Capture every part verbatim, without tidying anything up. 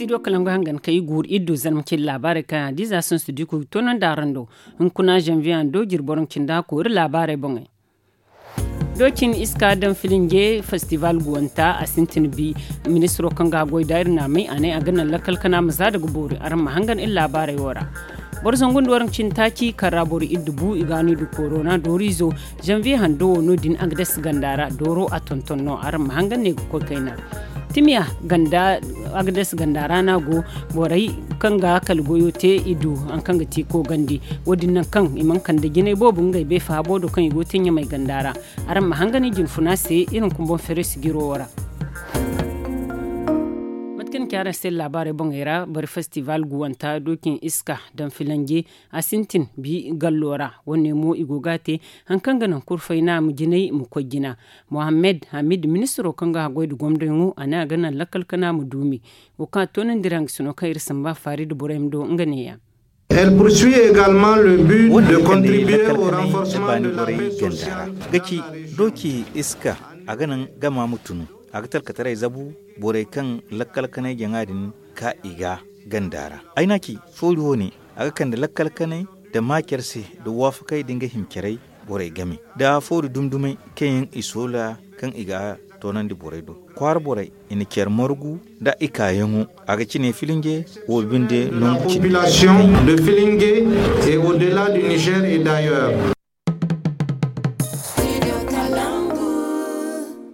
I do kala ngo hangan ka i guuru iri du zarma cindi laabaarey kaŋ a di za sansu di kulu toonandi araŋ do. Hunkuna zanviye a do jirbi boro nda cindi hakku iri laabaarey boŋey. Doocin iska daŋ filinje festival guwanta a sintin bi. Ministiro kaŋ ga a goy da iri naamay a ne a ga naŋ lakkal kana ma za daga boori araŋ ma hangan iri laabaarey wo ra. Boro zangu nda waranka cindi taaci kaŋ ra boro iddu bu i ga no i du korona dooriizo. Zanviye hando wo no- din agades ganda ra dooro a tonton no araŋ ma hangan ne ga koy kayna. Timiya ganda, agades ganda ra no a go. Borey kaŋ ga kala goyo te i du hari kaŋ ga ti koogandi. Wo- din naŋ kaŋ i mana kande jinay boobo ngey bay faabo do kaŋ i go ga te ɲamay ganda ra. Araŋ ma hangan i jinfuna se iri hunkuna boŋ feere sijiro wo ra. Mate kaŋ ni ci araŋ se laabaarey boŋey ra bari festival guwanta doocin iska daŋ filanje. A sintin bi gallo ra. Wo- ne mo i go ga a te hari kaŋ ga naŋ kurfay naama jinay ma koy jina. Mohammed hamid ministiro kaŋ ga a goy nda gomdoyaŋo a ne a ga naŋ lakkal kana ma duumi. Wo kaŋ a toonandi ra nga sino kaŋ iri samba faari nda borey ma do nga neeya. Wo- din ga ne lakkal kanay da baani borey ganda ra ga ci dooci iska. A ga naŋ gama ma tunu a ga talkataray zabu borey kaŋ lakkal kanay jaŋa din ka i ga ganda ra. Ay n'a ci foori wo- ne a ga kande lakkal kanay nda maacar se nda waafakay nda nga himcaray borey game nda foori dumdumay kaŋ yaŋ i soola kaŋ i ga toonandi borey do. Kwaara borey i na care margu nda i kaayaŋo a ga cine filinje wo binde nangu cindi.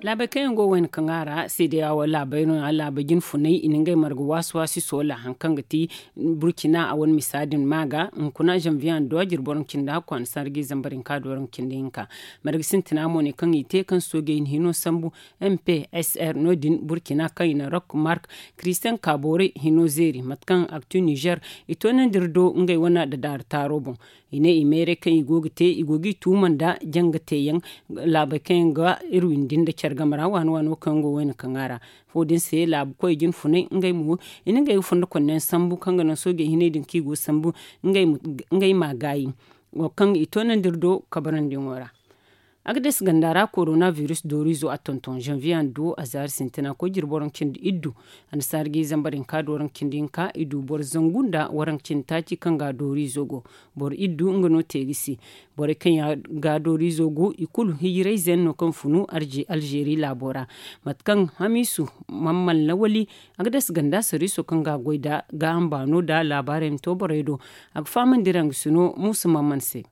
Laabey kaŋ yaŋ go wayna kaŋ a ra seedeya wo laabey no ya laabey jinfunay i na ngey marga waasi waasi soola hari kaŋ ga ti burkina a wane misa din ma ga hunkuna zanviye a do jirbi waranka cindi hakku a na sarji zambar hinka do waranka cindi hinka. Marga sintina mo ne kaŋ i te kaŋ soojey na hino sambu. M P S R no- din burkina kaŋ i na rock mark christian kabore hino zeeri mate kaŋ aktu niger i toonandi iri do ngey wane dadaari taaro boŋ. I ne i meeray kaŋ i go ga te i go ga i tuuma nda janga teeyaŋ laabey kaŋ yaŋ ga iri windi nda care game ra waani waano kaŋ yaŋ go wayna kaŋ a ra. Wo- din se laabu koy jinfunay ngey mo i na ngey ga fondo konne yaŋ sambu kaŋ ga naŋ soojey hinay din kaŋ i go ga sambu ngey ma gaayi. Wo kaŋ i toonandi iri do kabarandiyaŋo ra. Agades ganda ra korona virus dooriizo a tonton zanviye a na du a zaari sintina koy jirbi waranka cindi iddu. A na saari ga i zambar hinka da waranka cindi hinka i du boro zangu nda waranka cindi taaci kaŋ ga dooriizo go. Boro iddu nga no te ga si. Borey kaŋ yaŋ ga dooriizo go i kulu hijirayze yaŋ no kaŋ funu alzeeri laabo ra. Mate kaŋ hamiisu, mamman lawali, agades ganda sariiso kaŋ ga a goy nda gaaham baano nda laabaarey ma to borey do. A ga fahamandi ra nga sino muusa mamman se.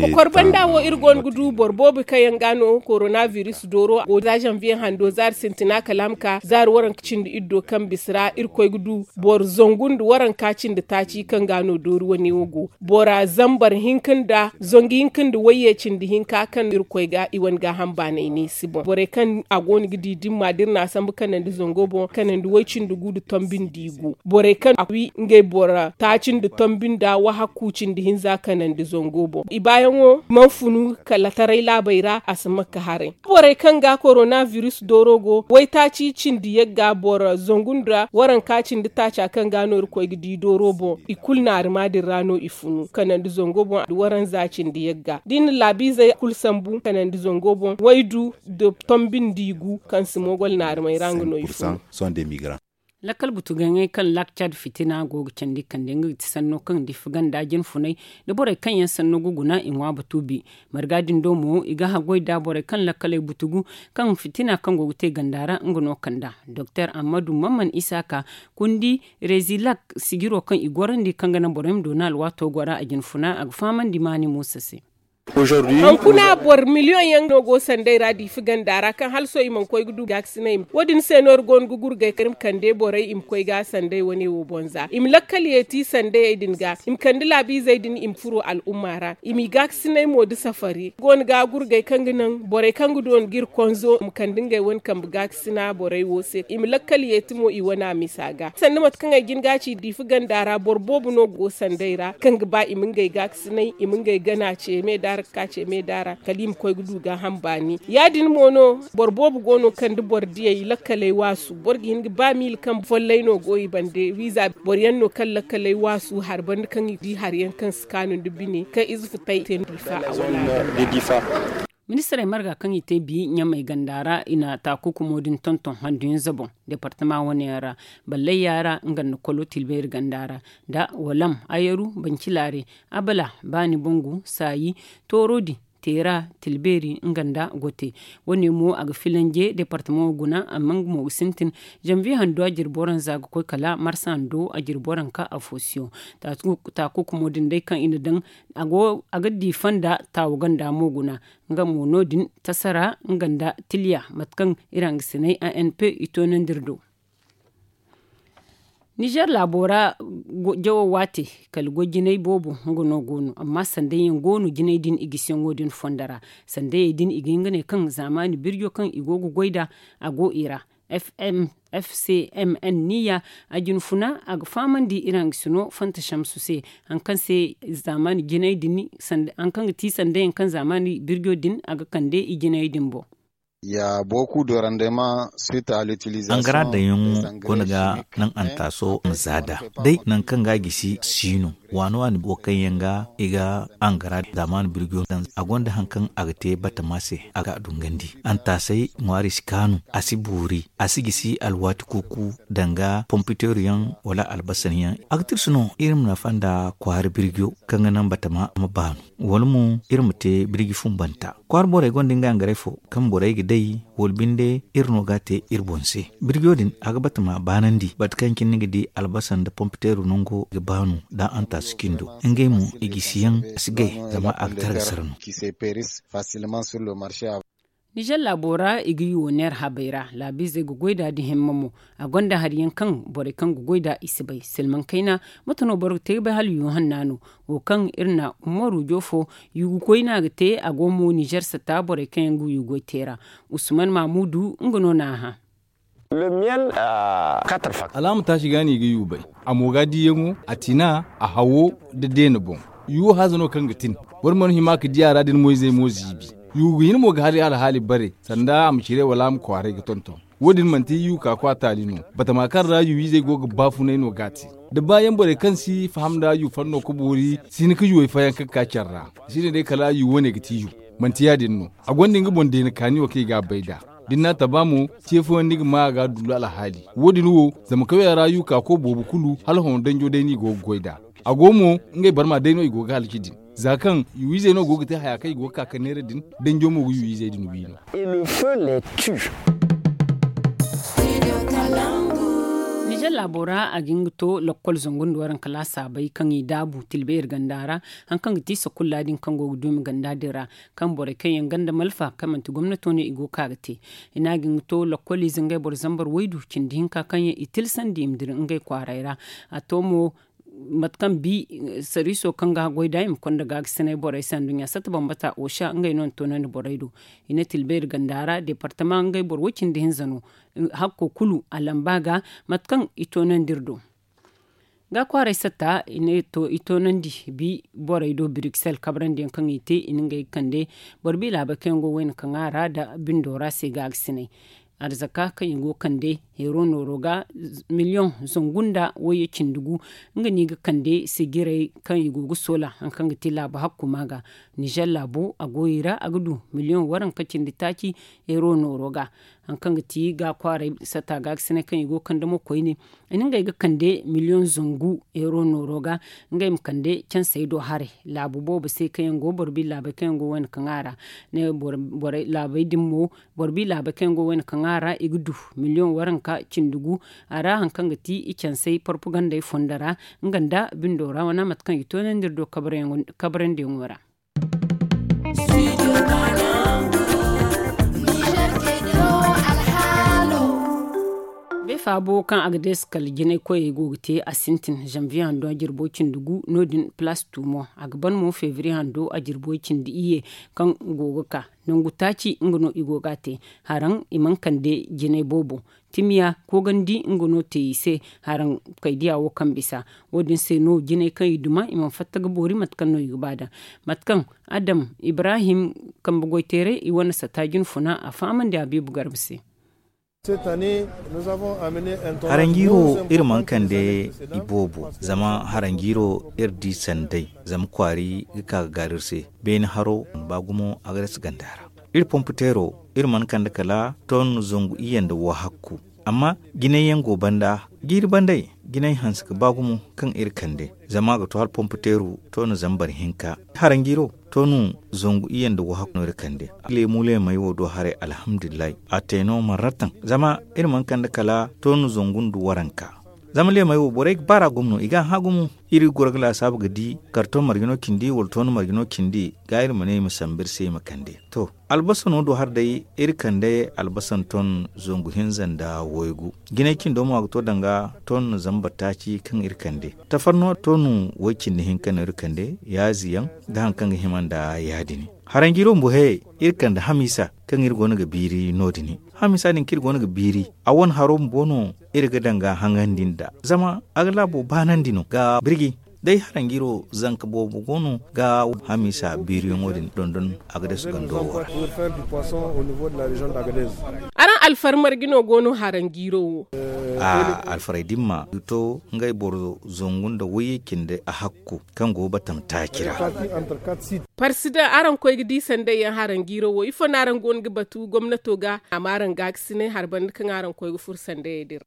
Kokor banda wo iri go no ga du boro boobo kaŋ yaŋ ga no korona virus dooro go za zanviye hando zaari sintina kala a ma ka zaari waranka cindi iddo kaŋ bisa ra iri koy ga du boro zangu nda waranka cindi taaci kaŋ ga no doori wane wo go. Bora zambar hinka nda zangu hinka nda wayye cindi hinka kaŋ iri koy ga i wane gaaham baanay ne si boŋ borey kaŋ a go no ga di dimma da iri na a sambu kanandi zango boŋ kanandi way cindi gu nda tombi nda i gu. Borey kaŋ a wi ngey bora taaci nda tombi nda wahakku cindi hinza kanandi zango boŋ i baayaŋo mana funu kala taray laabey ra a si ma ka haray. Borey kaŋ ga korona virus dooro go waytaaci cindi yagga boro zangu nda waranka cindi taaca kaŋ ga no iri koy ga di dooro boŋ i kulu naarima din ra no i funu kanandi zango boŋ da waranza cindi yagga da i na laabiizey kulu sambu kanandi zango boŋ waydu nda tombi nda i gu kaŋ si moogol naarimey ra nga no i funu. Lakkal butugaŋey kaŋ laak cad fitina go ga candi kande nga ga ti sanno kaŋ difi ganda jinfunay da borey kaŋ yaŋ sanno ga guna i ŋwa batu bi. Marga din do mo i ga haggoy da borey kaŋ lakkaley butugu kaŋ fitina kaŋ go ga te ganda ra nga no kanda doktor ammadu mamman isaaka kundi rezilak sijiro kaŋ i gorandi kaŋ ga naŋ borey ma doona alwaato gora a jinfuna a ga fahamandi maani muusa se. Hankuna boro miliyoŋ yaŋ no go sanday ra diifi ganda ra kaŋ hala sohõ i mana koy ga du gaakasinay. Wo- din se no iri go no ga gurgay kaŋ iri ma kande borey i ma koy ga sanday wane wo boŋ za i ma lakkal yeeti sandayey din ga i ma kande laabiizey din i ma furo al'umma ra i m'i gaakasinay mo da safari go no ga gurgay kaŋ ga naŋ borey kaŋ ga doona ga iri konzo ma kande ngey wane kambe gaakasina borey wo se i ma lakkal yeeti mo i wane a misa ga sanda mate kaŋ ay jin ga ci diifi ganda ra boro boobo no go sanday ra kaŋ ga ba i ma ngey gaakasinay i ma ngey gana ce me da ra ga ka ce me da ra kala i ma koy ga du gaaham baani ya- din mo no boro boobo go no kaŋ da boro diyey lakkaley waasu boro ga hin ga ba miila kaŋ follay no go i bande wiiza boro yaŋ no kaŋ lakkaley waasu hari banda kaŋ i di hari yaŋ kaŋ si kaanu nda bine kaŋ ize futay te nda diifa a wala a ganda. Ministirey marga kaŋ i te bi ɲamey ganda ra i na taakukumo din tonton handuyanza boŋ deepartama wane yaŋ ra, ballayya ra nga nda kolo tilbeeri ganda ra, nda walam ayaru bancilaare, abala baani bangu saayi, tooro din, teera, tilbeeri nga nda gote. Wane mo a ga filanje deepartama wo guna, amma nga mo ga sintin. Janviye hando a jirbi waranza ga koy kala marsa hando a jirbi waranka afo siyo. Taakukumo din day kaŋ i na daŋ a ga di fonda taawu ganda mo guna. Nga mo no- din tasara nga nda tiliya mate kaŋ iri hangasinay anp i toonandi iri do. Nizer laabo ra jawo waate kala goy jinay boobo nga no go no amma sanday yaŋ go no jinay din i gisiyaŋo din fondo ra. Sandayey din i ga hin ga ne kaŋ zaamaani birjo kaŋ i go ga goy nd'a a go i ra. Fcmn niya a jinfuna a ga fahamandi iri hangasino fanta shamsu se, hari kaŋ se zaamaani jinay din hari kaŋ ga ti sandayaŋ kaŋ zaamaani birjo din a ga kande i jinay din boŋ. Angara daŋyaŋo gonda ga naŋ antaaso ma za nd'a day nangu kaŋ ga a gisi si no. Waani waani boro kaŋ yaŋ ga i ga angara zaamaani birjo daŋ a gonda hari kaŋ a ga te batama se a ga a dungandi. Antaasey ŋwaari si kaanu, a si boori, a si gisi alwaati kuuku danga pompiteeru yaŋ wala albasar yaŋ. A ga tirsi no iri ma nafa nda kwaara birjo kaŋ ga naŋ batama ma baanu, wala mo iri ma te birji fumbanta. Kwaara borey gonda ngey hangaray fo kaŋ borey ga day, wala binde iri no ga a te iri boŋ se. Birjo din a ga batama baanandi bate kaŋ cine ni ga di albasa nda pompiteeru nango ga baanu da antaasi cindo. Ngey mo i gisi yaŋ a si gay zama a ga tara ga sara no. Nizer laabo ra i ga yuwo neera habey ra laabiizey ga goy nd'a da himma mo. A gonda hari yaŋ kaŋ borey kaŋ ga goy nd'a i si bay silmaŋ kayna. Mate no boro ga te ga bay hala yuwo hanna no? Wo kaŋ iri na umaru joofo yugu koyna ga te a go mo nizer sata borey kaŋ yaŋ ga yugo te ra. Usman mamudu nga no n'a hã. Alaama taasi ga no i ga yuubay. A mo ga diiyaŋo a tina a hawo nda deena boŋ. Yuwo haza no kaŋ ga tin. Boro mana hima ga di a ra da ni moyzey mo ziibi. Yuwo ga hin mo ga hari alhaali bare sanda a ma cire wala a ma kwaaray ga tonton. Wo- din manti yuwo ka kwa taali no. Batama kaŋ ra yuwo izey go ga baafunay no ga a te. Da baayaŋ borey kaŋ si faham nda yuwo fanno ga boori si hin ga yuwey fayaŋ kaŋ ga ka care ra. Si ne day kala yuwo wane ga ti yuwo. Manti ya- din no. A gonda nga boŋ deena kaani wo kaŋ i ga a bay nd'a. Da ni n'a taba mo ce fooyaŋ ni ga ma a ga a dullu alhaali. Wo- din wo zama kawya ra yuuka ko boobo kulu hala hõ danjo day no i go ga goy nd'a. A go mo ngey barma day no i go ga halaci din. Za kaŋ yuwiizey no go ga te haya kaŋ i go ga ka ga neera din. Danjo mo ga yuwiizey din wi no. Nizer laabo ra a ga hin ga to lakkol zangu nda waranka laasaabey kaŋ i daabu tilbeeri ganda ra. Hari kaŋ ga ti sakulla din kaŋ go ga duumi ganda din ra kaŋ borey kaŋ yaŋ ganda malfa kaŋ manti gomnato no i go ga ka ga te. I ne a ga hin ga to lakkoliize ngey boro zambar waydu cindi hinka kaŋ yaŋ i tilsandi i ma dira ngey kwaaray ra. A to mo mate kaŋ bi sariiso kaŋ ga goy nd'a i ma konda gaagasinay borey se anduɲɲa satta bambata osa ngey no na toonandi borey do. I ne tilbeeri ganda ra deepartama ngey boro way cindi hinza no. Hakko kulu a lamba ga mate kaŋ i toonandi iri do. Ga kwaaray satta i ne to i toonandi bi borey do bruxelles kabrandi yaŋ kaŋ i te i na ngey ga kande. Boro bi laabey kaŋ yaŋ go wayna kaŋ a ra nda bindo ra se gaagasinay. Arzaka kaŋ i go ga kande heero nooro ga miliyoŋ zangu nda wayye cindi gu. Nga no i ga kande sijirey kaŋ i go ga soola hari kaŋ ga ti laabu hakkuma ga. Nizer laabo a go i ra a ga du miliyoŋ waranka cindi taaci heero nooro ga. Hari kaŋ ga ti ga kwaaray satta gaagasinay kaŋ i go ga kande mo koyne. I na ngey ga kande miliyoŋ zangu heero nooro ga. Ngey ma kande cansey do haray laabu boobo se kaŋ yaŋ go boro bi laabey kaŋ yaŋ go wayna kaŋ a ra. Laabey din mo boro bi laabey kaŋ yaŋ go wayna kaŋ a ra i ga du miliyoŋ waranka cindi gu. A ra hari kaŋ ga ti i cansey porpagandey fondo ra nga nda bindo ra wane mate kaŋ i toonandi iri do kabarandiyaŋo ra. Beefa bo kaŋ a ga deesi kala jinay koyey go ga te a sintin zanviye hando a jirbo cindi gu no- din palaas tumo a ga ban mo febriye hando a jirbo cindi iyye. Kaŋ go ga ka nangu taaci nga no i go ga a te. Haraŋ i mana kande jinay boobo. Timiya koogandi nga no te i se. Haraŋ kaydiya wo kaŋ bisa wo- din se no jinay kaŋ i duma i mana fatta ga boori mate kaŋ no i ga ba daŋ. Mate kaŋ adam ibrahim kambe goyteeray i wane sata jinfuna a fahamandi habiibu garba se. Haranjiiro iri mana kande iboobo zama haranjiiro iri di sanday. Zama kwaari ga ka ga gaaru iri se. Beene haro mana ba gumo a ga rasi ganda ra. Iri pomputeero, iri mana kande kala ton zangu iyye nda wahakku. Amma jinay yaŋ go banda, jiiri banday, jinay hanse ga ba gumo kaŋ iri kande. Zama a ga to hala pomputeeru ton zambar hinka. Haranjiiro, ton zangu iyye nda wahakku no iri kande. Leemu leemey wo do haray, alhamdulillahi, a te no marratan. Zama iri mana kande kala ton zangu nda waranka. Zama leemey wo borey ga baar'a gumo no, i ga a hã gumo. Iri goro ga laasaabu ga di karton marje no cindi wala ton marje no cindi, ga iri ma ne i ma sambu iri se i ma kande. To, albasa no do hari day, iri kande albasa ton zangu hinza nda waygu. Jinay cindo mo a ga to danga ton zamba taaci kaŋ iri kande. Tafarno ton way cindi hinka no iri kande, yaazi yaŋ da hari kaŋ ga hima nda yaadin. Haranjiiro bumbo he, iri kande hamiisa kaŋ iri go no ga biiri no-din. Hamiisa din kaŋ iri go no ga biiri, a wane haro bumbo no iri ga danga haŋandi nd'a. Zama a ga laabo baanandi no ga birji. Day haranjiiro zanka boobo go no ga hamiisa biiriyaŋo din dondon a ga deesu gando wo ra. Araŋ alfar marje no go no haranjiiro wo? A alfarey dimma ga to ngey boro zangu nda wayye cindi a hakku kaŋ go batama taaci ra. Parsidaŋ, araŋ koy ga di sanday yaŋ haranjiiro wo, ifo no araŋ go no ga batu gomnato ga a ma araŋ gaakasinay hari banda kaŋ araŋ koy ga furo sandayey din ra?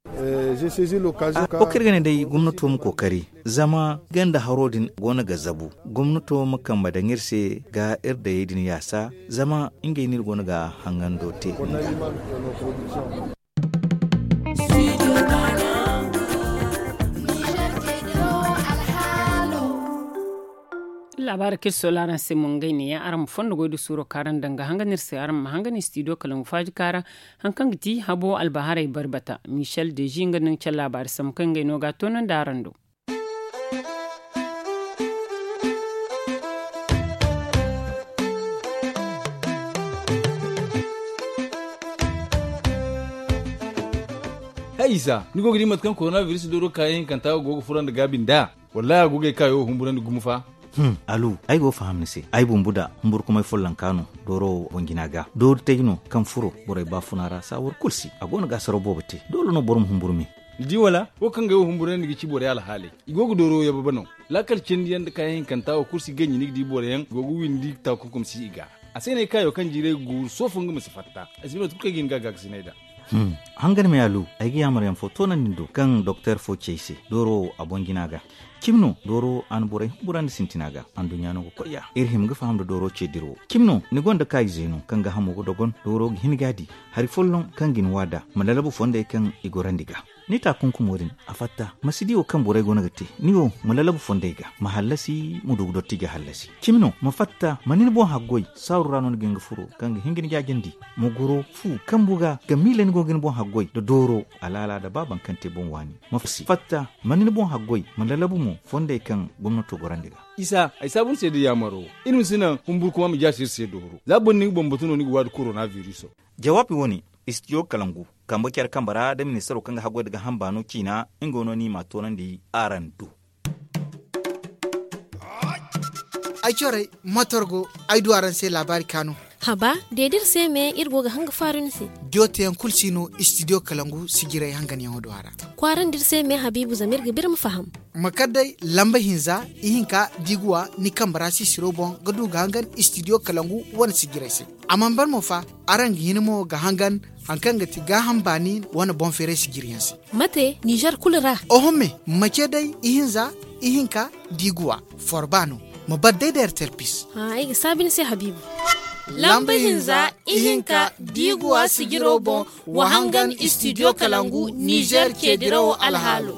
Wo kaŋ iri ga ne day gomnato ma kookari, zama ganda haro din go no ga zabu. Gomnato ma kambe daŋ iri se ga iri dayey din yaasa, zama ngey no iri go no ga hangando te. Laabaari kaŋ iri soola araŋ se mo ngey neeya, araŋ ma fondo goy da suuro kaŋ araŋ daŋ ga hangan iri se, araŋ ma hangan studio kalangu faaji kaara. Hari kaŋ ga ti habo albaharay barbata, michel deji nga no ga care laabaari sambu kaŋ ngey no ga a toonandi araŋ do. Hay isa, ni go ga di mate kaŋ korona biris dooro kaayaŋ hinkanta go ga furo nda gaabi nd'a? Wallaahi a go ga ay kaayo wo humburandi gumo fa. Alu, ay go ga faham ni se. Ay bumbu da humburkumay follonka no dooro boŋ jina ga. Doori taji no kaŋ furo borey baafuna ra saawar kulu si. A go no ga asaraw boobo te. Doole no boro ma humburu me. Ni di wala? Wo kaŋ ga ay wo humburandi ga ci borey alhaaley. I go ga dooro yababa no. Laakal cindi yaŋ nda kaayaŋ hinkanta wo kulu si ganji ni ga di boro yaŋ go ga windi taakunkum si i ga. A se no ay kaayo kaŋ jiiray ga guuru sohõ fo nga ma si fatta. Ay si bay mate kulu kaŋ ay ga hin ga gaakasinay nd'a. Hangan me alu, ay ga yaamar yaŋ fo toonandi ni do kaŋ doktor fo ci ay se dooro wo a boŋ jina ga. Cimi no dooro a na borey humburandi sintina ga. Anduɲɲa no ga koy ya iri hima ga faham nda dooro ce dirawo. Cimi no ni gonda kaayize no kaŋ ga hamo ga dogon dooro ga hin ga a di. Hari folloŋ kaŋ ga ni waada ma lalabu fondey kaŋ i gorandi ga. Ni taakunkumo din a fatta ma si di wo kaŋ borey go no ga te. Ni wo ma lalabu fondey ga ma hallasi ma du ga dotti ga hallasi. Cimi no ma fatta ma ni ni boŋ haggoy saaru ra no ni ga hin ga furo kaŋ ga hin ga ni jaajandi. Ma goro fu kambu ga ga miila ni go ga ni boŋ haggoy nda dooro alaala nda ba baŋ kaŋ te boŋ waani. Ma fatta ma ni ni boŋ haggoy ma lalabu mo fondey kaŋ gomnato gorandi ga. Isa ay saabu ni se da yaamaro. Iri ma si naŋ humburkuma ma jaasi iri se dooro za boro ni ga boŋ batu no ni ga waadi korona biriso. Jawaabi wo-ne istidiyo kalangu kambe care kambe ra nda ministaro kaŋ ga haggoy nda ga hamba no ciina. Nga wo no ni ma a toonandi araŋ do. Ay corey motor go ay du araŋ se laabaari kaanu. Haba de da iri se me iri go ga hanga faaru ni se. Diyo teyaŋ kulu si no istidiyo kalangu sijirey hanganyaŋo do a ra. Kwaarandi iri se me habiibu zama iri ga biri ma faham. Ma kar day lamba hinza ihinka diiguwa ni kambe ra sisiro boŋ ga du ga hangan istidiyo kalangu wane sijirey se. A mana ban mo fa araŋ ga hin mo ga hangan hari kaŋ ga ti gaaham baani wane boŋ feeray sijiriyaŋ se. Mate nizer kulu ra? Oho me ma ce day ihinza ihinka diiguwa forba no. Ma bar day da ertel pis. Ay ga saabi ni se habiibu. Lamba hinza ihinka diiguwa sijiro boŋ wa hangan istidiyo kalangu nizer ce dirawo alhaalo.